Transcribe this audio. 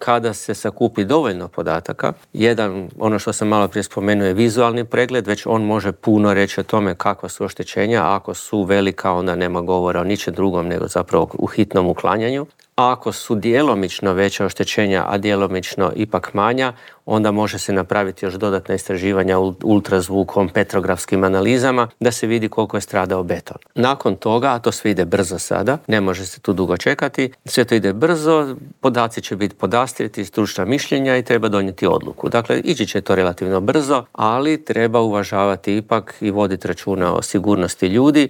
Kada se sakupi dovoljno podataka, jedan, ono što sam malo prije spomenuo, je vizualni pregled, već on može puno reći o tome kakva su oštećenja. Ako su velika, onda nema govora o ničem drugom nego zapravo u hitnom uklanjanju. A ako su djelomično veća oštećenja, a djelomično ipak manja, onda može se napraviti još dodatna istraživanja ultrazvukom, petrografskim analizama da se vidi koliko je stradao beton. Nakon toga, a to sve ide brzo sada, ne može se tu dugo čekati, sve to ide brzo, podaci će biti podastrijeti, stručna mišljenja i treba donijeti odluku. Dakle, ići će to relativno brzo, ali treba uvažavati ipak i voditi računa o sigurnosti ljudi